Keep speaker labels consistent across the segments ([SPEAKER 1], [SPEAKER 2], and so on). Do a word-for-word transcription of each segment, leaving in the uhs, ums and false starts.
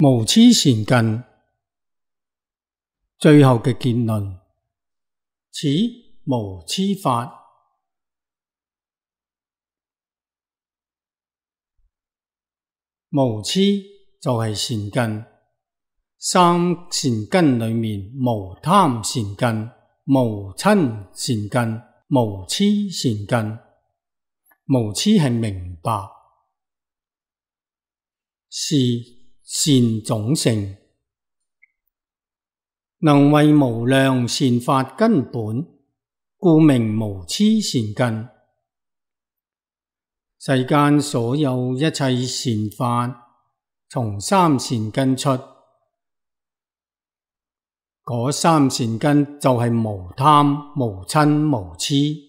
[SPEAKER 1] 無黐善根，最後嘅結論，此無黐法。無黐就係善根，三善根裏面無貪善根、無瞋善根、無黐善根。無黐係明白，是善種性，能為無量善法根本，故名無黐善根。世間所有一切善法，從三善根出，嗰三善根就係無貪、無瞋、無黐。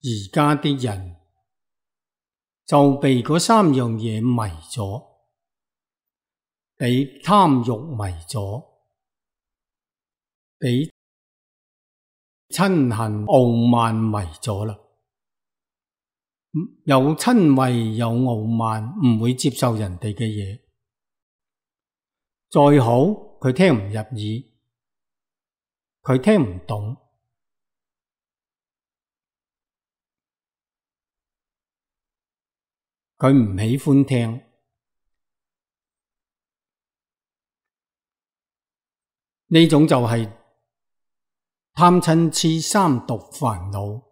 [SPEAKER 1] 而家啲人就被嗰三樣嘢迷咗，被貪欲迷咗，被嗔恨傲慢迷咗啦。有嗔恚有傲慢，唔會接受人哋嘅嘢，再好佢聽唔入耳，佢聽唔懂。佢唔喜歡聽，呢種就係貪嗔癡三毒煩惱。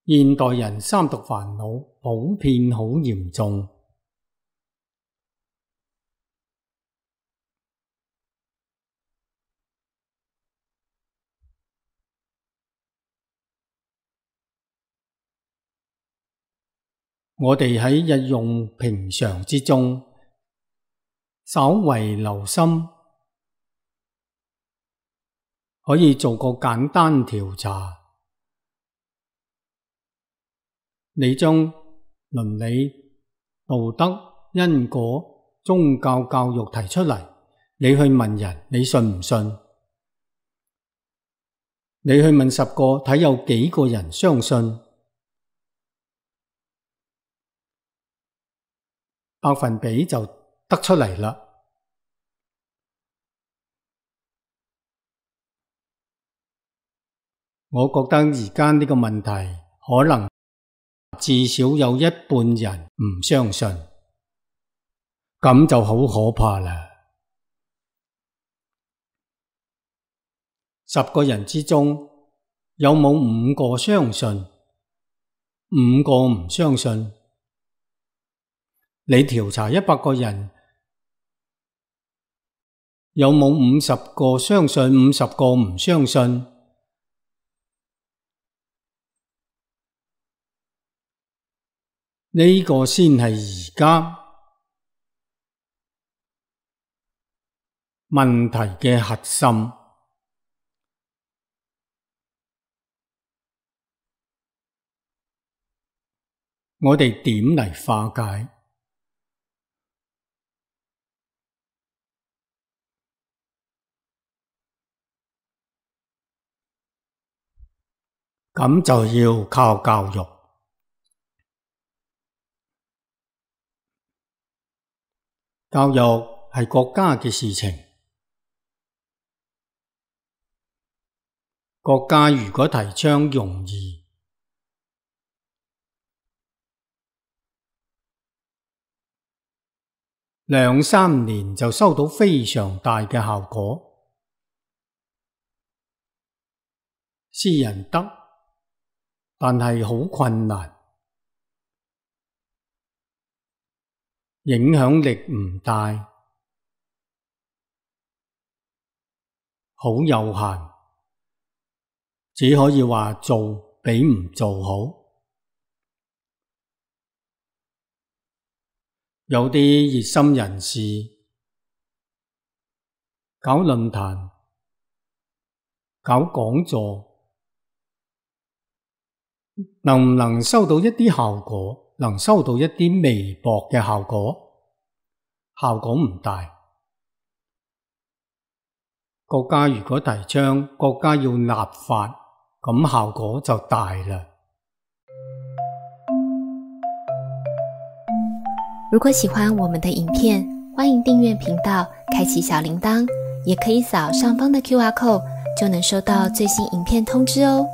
[SPEAKER 1] 現代人三毒煩惱普遍好嚴重。我哋喺日用平常之中，稍為留心，可以做個簡單調查。你將倫理、道德、因果、宗教教育提出嚟，你去問人，你信唔信？你去問十個，睇有幾個人相信？百分比就得出嚟啦。我覺得而家呢個問題，可能至少有一半人唔相信，咁就好可怕啦。十個人之中，有冇五個相信？五個唔相信？你調查一百個人，有冇五十個相信，五十個唔相信？呢個先係而家問題嘅核心。我哋點嚟化解？咁就要靠教育。教育係國家嘅事情。國家如果提倡容易，兩三年就收到非常大嘅效果。私人得，但係好困難，影響力唔大，好有限，只可以話做比唔做好。有啲熱心人士搞論壇、搞講座，能唔能收到一啲效果？能收到一啲微薄嘅效果，效果唔大。國家如果提倡國家要立法，咁效果就大啦。
[SPEAKER 2] 如果喜欢我们的影片，欢迎订阅频道，开启小铃铛，也可以扫上方的 Q R code， 就能收到最新影片通知哦。